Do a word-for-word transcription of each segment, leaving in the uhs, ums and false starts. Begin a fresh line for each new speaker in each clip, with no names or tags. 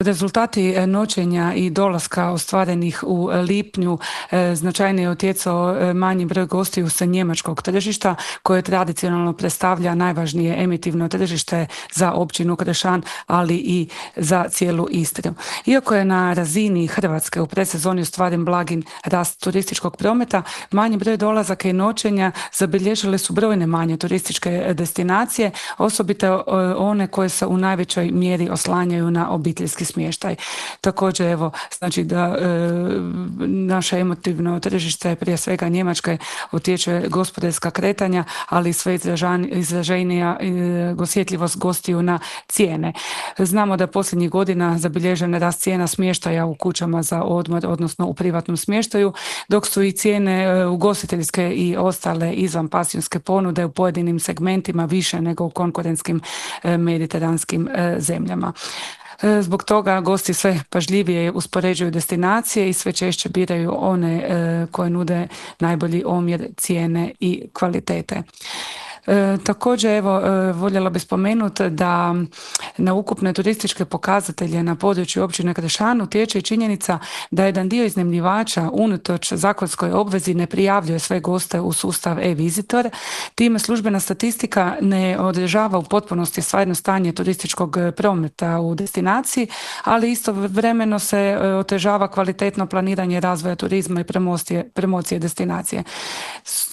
Rezultati e, noćenja i dolaska ostvarenih u lipnju e, značajnije je utjecao e, manji broj gostiju sa njemačkog tržišta koje tradicionalno predstavlja najvažnije emitivno tržište za općinu Krešan, ali i za cijelu Istru. Iako je na razini Hrvatske u predsezoni ostvaren blagin rast turističkog prometa, manji broj dolazaka i noćenja zabilježile su brojne manje turističke destinacije, osobito e, one koje se u najvećoj mjeri oslanjaju na obiteljski smještaj. Također, evo, znači da e, naše emotivno tržište, prije svega Njemačke, utječe gospodarska kretanja, ali i sve izražan, izraženija e, osjetljivost gostiju na cijene. Znamo da je posljednjih godina zabilježen rast cijena smještaja u kućama za odmor, odnosno u privatnom smještaju, dok su i cijene e, ugostiteljske i ostale izvanpansionske ponude u pojedinim segmentima više nego u konkurentskim e, mediteranskim e, zemljama. Zbog toga gosti sve pažljivije uspoređuju destinacije i sve češće biraju one koje nude najbolji omjer cijene i kvalitete. E, također, evo, e, voljela bih spomenuti da na ukupne turističke pokazatelje na području općine Krešan utječe i činjenica da jedan dio iznajmljivača unatoč zakonskoj obvezi ne prijavljuje sve goste u sustav e-visitor. Time službena statistika ne održava u potpunosti stvarno stanje turističkog prometa u destinaciji, ali istovremeno se otežava kvalitetno planiranje razvoja turizma i promocije, promocije destinacije.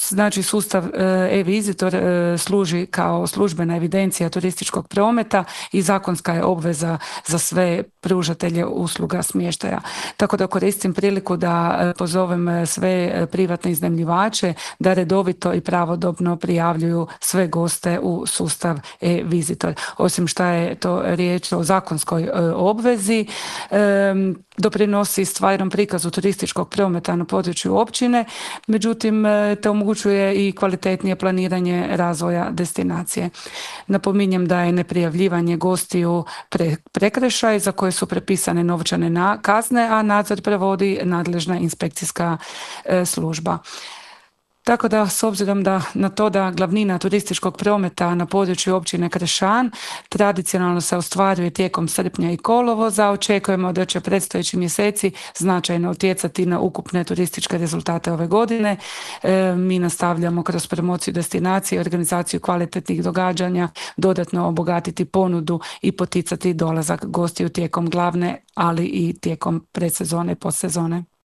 Znači, sustav e-visitor služi kao službena evidencija turističkog prometa i zakonska je obveza za sve pružatelje usluga smještaja. Tako da koristim priliku da pozovem sve privatne iznajmljivače da redovito i pravodobno prijavljuju sve goste u sustav e-visitor. Osim što je to riječ o zakonskoj obvezi, doprinosi stvarnom prikazu turističkog prometa na području općine, međutim te omogućuje i kvalitetnije planiranje razvoja destinacije. Napominjem da je neprijavljivanje gostiju pre, prekršaj za koje su prepisane novčane na, kazne, a nadzor provodi nadležna inspekcijska e, služba. Tako da, s obzirom da na to da glavnina turističkog prometa na području općine Krešan tradicionalno se ostvaruje tijekom srpnja i kolovoza, očekujemo da će predstojeći mjeseci značajno utjecati na ukupne turističke rezultate ove godine. E, mi nastavljamo kroz promociju destinacije i organizaciju kvalitetnih događanja dodatno obogatiti ponudu i poticati dolazak gostiju tijekom glavne, ali i tijekom predsezone i postsezone.